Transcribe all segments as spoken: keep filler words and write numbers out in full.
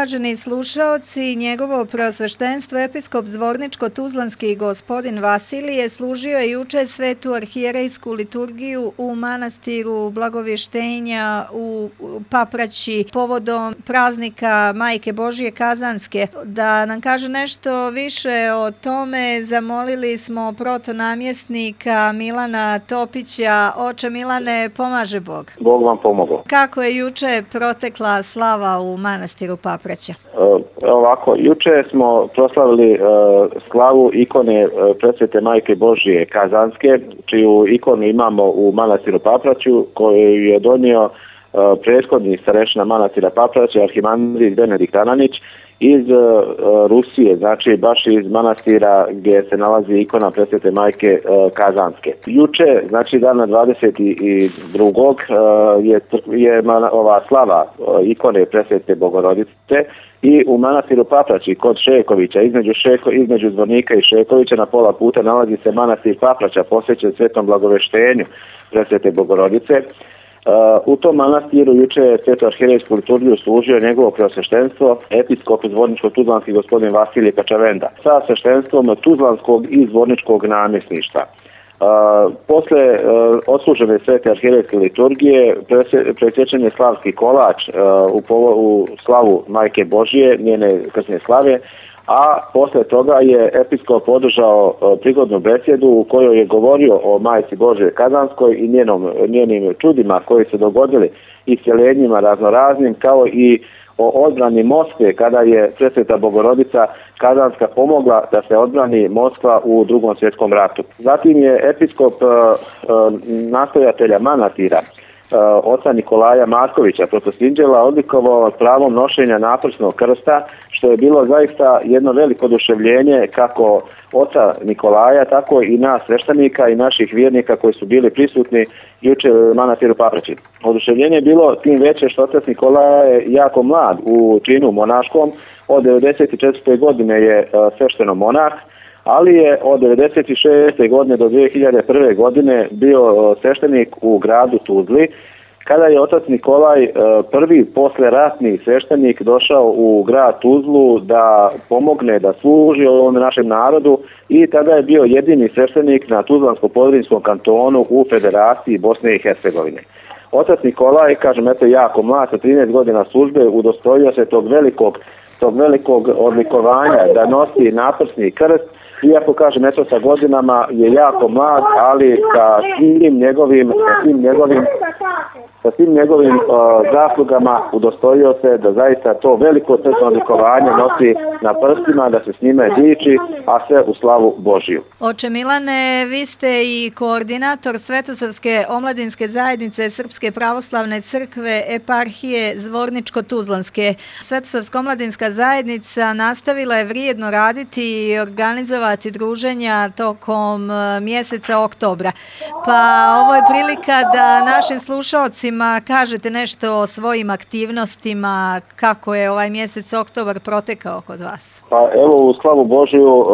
uvaženi slušaoci, njegovo preosveštenstvo episkop Zvorničko-Tuzlanski gospodin Vasilije služio je juče svetu arhijerejsku liturgiju u manastiru Blagovještenja u Papraći povodom praznika Majke Božije Kazanske. Da nam kaže nešto više o tome, zamolili smo protonamjesnika Milana Topića. Oče Milane, pomaže Bog. Bog vam pomogao. Kako je juče protekla slava u manastiru Papraća? E, ovako, juče smo proslavili e, slavu ikone e, presvete Majke Božije Kazanske, čiju ikonu imamo u manastiru Papraću, koju je donio e, prethodni starešina manastira Papraća, arhimandrit Benedikt Ananić, iz uh, Rusije, znači baš iz manastira gdje se nalazi ikona presvete Majke uh, Kazanske. Juče, znači dana dvadeset drugog Uh, je, je man, ova slava uh, ikone presvete Bogorodice i u manastiru Papraći kod Šekovića, između, Šeko, između Zvornika i Šekovića na pola puta nalazi se manastir Papraća posvećen Svetom Blagoveštenju presvete Bogorodice. Uh, u tom manastiru juče je svetu arhijerejsku liturgiju služio njegovo preosveštenstvo episkop Zvorničko-Tuzlanski gospodin Vasilije Kačavenda sa sveštenstvom Tuzlanskog i Zvorničkog namjesništva. Uh, posle uh, odslužene svete arhijerejske liturgije presječen je slavski kolač uh, u, povo, u slavu Majke Božije, njene krsne slave, a posle toga je episkop održao prigodnu besjedu u kojoj je govorio o Majci Božije Kazanskoj i njenom, njenim čudima koji se dogodili, isceljenjima raznoraznim, kao i o odbrani Moskve kada je presveta Bogorodica Kazanska pomogla da se odbrani Moskva u Drugom svjetskom ratu. Zatim je episkop uh, uh, nastojatelja manastira Uh, oca Nikolaja Markovića Protosinđela odlikovao pravom nošenja naprsnog krsta, što je bilo zaista jedno veliko oduševljenje kako oca Nikolaja, tako i nas sveštenika i naših vjernika koji su bili prisutni juče u manastiru Papraći. Oduševljenje je bilo tim veće što otac Nikolaja je jako mlad u činu monaškom, od devedeset četvrte godine je uh, svešteno monah, ali je od devedeset šeste godine do dvije hiljade prve godine bio sveštenik u gradu Tuzli, kada je otac Nikolaj prvi posleratni sveštenik došao u grad Tuzlu da pomogne, da služi ovom našem narodu i tada je bio jedini sveštenik na Tuzlansko-Podrinjskom kantonu u Federaciji Bosne i Hercegovine. Otac Nikolaj, kažem, eto jako mlad, sa trinaest godina službe, udostojio se tog velikog, tog velikog odlikovanja da nosi naprsni krst. Iako, kažem, eto sa godinama je jako mlad, ali sa svim njegovim, sa svim njegovim, sa svim njegovim uh, zaslugama udostojio se da zaista to veliko srčno odlikovanje nosi na prstima, da se s njime diči, a sve u slavu Božiju. Oče Milane, vi ste i koordinator Svetosavske omladinske zajednice Srpske pravoslavne crkve eparhije Zvorničko-Tuzlanske. Svetosavska omladinska zajednica nastavila je vrijedno raditi i organizovati druženja tokom mjeseca oktobra. Pa ovo je prilika da našim slušalcima kažete nešto o svojim aktivnostima, kako je ovaj mjesec oktobar protekao kod vas. Pa evo, u slavu Božiju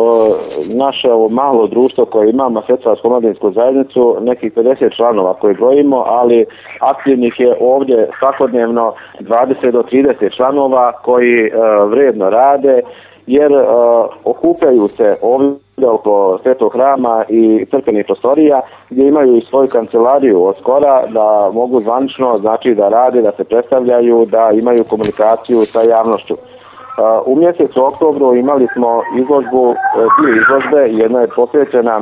naše ovo malo društvo koje imamo, Svetosavsku omladinsku zajednicu, nekih pedeset članova koje brojimo, ali aktivnih je ovdje svakodnevno dvadeset do trideset članova koji vrijedno rade, jer okupljaju se ovdje oko Svetog hrama i crkvenih prostorija gdje imaju i svoju kancelariju od skora da mogu zvanično, znači da rade, da se predstavljaju, da imaju komunikaciju sa javnošću. U mjesecu oktobru imali smo izložbu, dvije izložbe, jedna je posvećena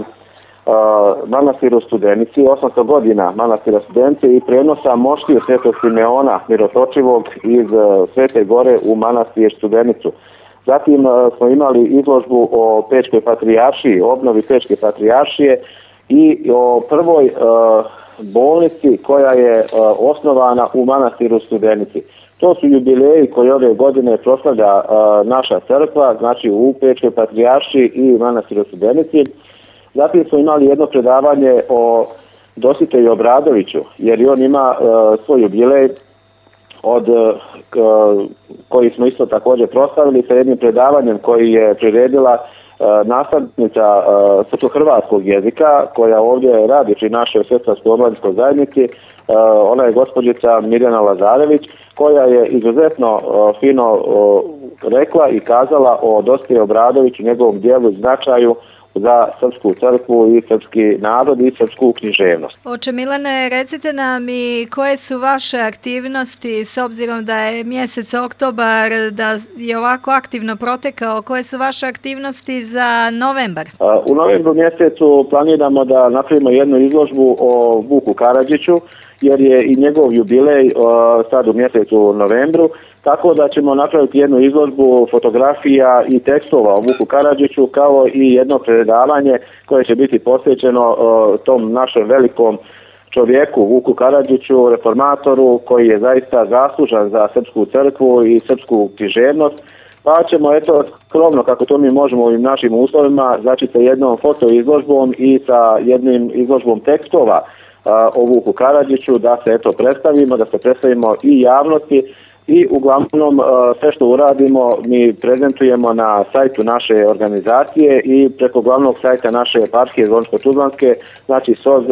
manastiru Studenici, osamsto godina manastira Studenice i prenosa moštiju Svetog Simeona Mirotočivog iz Svete Gore u manastir Studenicu. Zatim smo imali izložbu o Pečkoj patrijaršiji, obnovi Pečke patrijaršije i o prvoj uh, bolnici koja je uh, osnovana u manastiru Studenici. To su jubileji koji ove godine proslavlja uh, naša crkva, znači u Pečkoj patrijaršiji i manastiru Studenici. Zatim smo imali jedno predavanje o Dositeju Obradoviću, jer i on ima uh, svoj jubilej od k, koji smo isto također proslavili sa jednim predavanjem koji je priredila e, nastavnica e, srpsko-hrvatskog jezika koja ovdje radi pri našoj Svetosavskoj omladinskoj zajednici. E, ona je gospođica Mirjana Lazarević koja je izuzetno fino rekla i kazala o Dositeju Obradoviću, njegovom dijelu i značaju za srpsku crkvu i srpski narod i srpsku književnost. Oče Milane, recite nam i koje su vaše aktivnosti s obzirom da je mjesec oktobar, da je ovako aktivno protekao, koje su vaše aktivnosti za novembar? U novembru mjesecu planiramo da napravimo jednu izložbu o Vuku Karadžiću, jer je i njegov jubilej sad u mjesecu novembru, tako da ćemo napraviti jednu izložbu fotografija i tekstova o Vuku Karadžiću, kao i jedno predavanje koje će biti posvećeno tom našem velikom čovjeku Vuku Karadžiću, reformatoru, koji je zaista zaslužan za srpsku crkvu i srpsku književnost. Pa ćemo, eto, skromno, kako to mi možemo u ovim našim uslovima, znači sa jednom fotoizložbom i sa jednim izložbom tekstova o Vuku Karadžiću, da se eto predstavimo, da se predstavimo i javnosti. I uglavnom sve što uradimo mi prezentujemo na sajtu naše organizacije i preko glavnog sajta naše eparhije Zvoničko-Tuzlanske, znači S O Z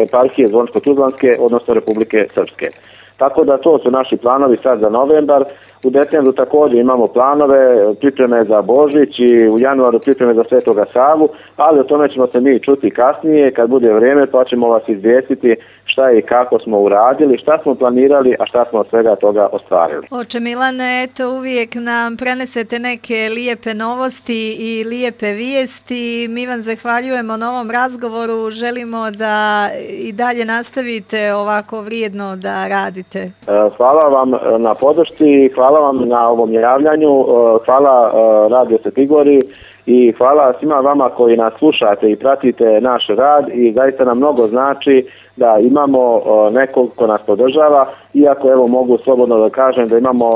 eparhije Zvoničko-Tuzlanske, odnosno Republike Srpske. Tako da to su naši planovi sad za novembar. U decembru također imamo planove, pripreme za Božić i u januaru pripreme za Svetoga Savu, ali o tome ćemo se mi čuti kasnije kad bude vrijeme, pa ćemo vas izvijestiti šta i kako smo uradili, šta smo planirali, a šta smo od svega toga ostvarili. Oče Milane, eto uvijek nam prenesete neke lijepe novosti i lijepe vijesti. Mi vam zahvaljujemo na ovom razgovoru, želimo da i dalje nastavite ovako vrijedno da radite. Hvala vam na podršci, hvala vam na ovom javljanju, hvala Radio Sveti Gori i hvala svima vama koji nas slušate i pratite naš rad i zaista nam mnogo znači da imamo nekog ko nas podržava, iako evo mogu slobodno da kažem da imamo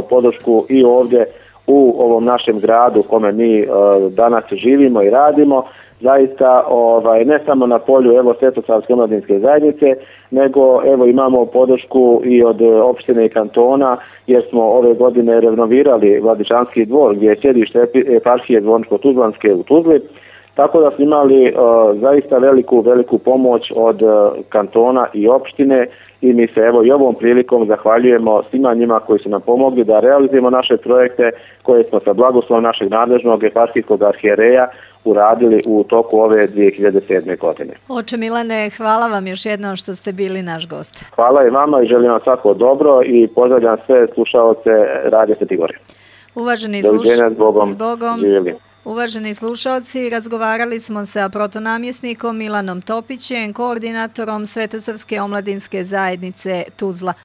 podršku i ovdje u ovom našem gradu u kome mi danas živimo i radimo. Zaista ovaj, ne samo na polju evo Svetosavske omladinske zajednice, nego evo imamo podršku i od opštine i kantona, jer smo ove godine renovirali Vladičanski dvor gdje je sjedište eparhije Zvoničko-Tuzlanske u Tuzli, tako da smo imali uh, zaista veliku, veliku pomoć od uh, kantona i opštine i mi se evo i ovom prilikom zahvaljujemo svima njima koji su nam pomogli da realizujemo naše projekte koje smo sa blagoslovom našeg nadležnog eparhijskog arhijereja uradili u toku ove dvije hiljade sedme. godine. Oče Milane, hvala vam još jednom što ste bili naš gost. Hvala i vama i želim vam svako dobro i pozdravljam sve slušaoce Radio Sveti Gori. Uvaženi slušaoci, Zbogom. Zbogom. Uvaženi slušaoci, razgovarali smo sa protonamjesnikom Milanom Topićem, koordinatorom Svetosavske omladinske zajednice Tuzla.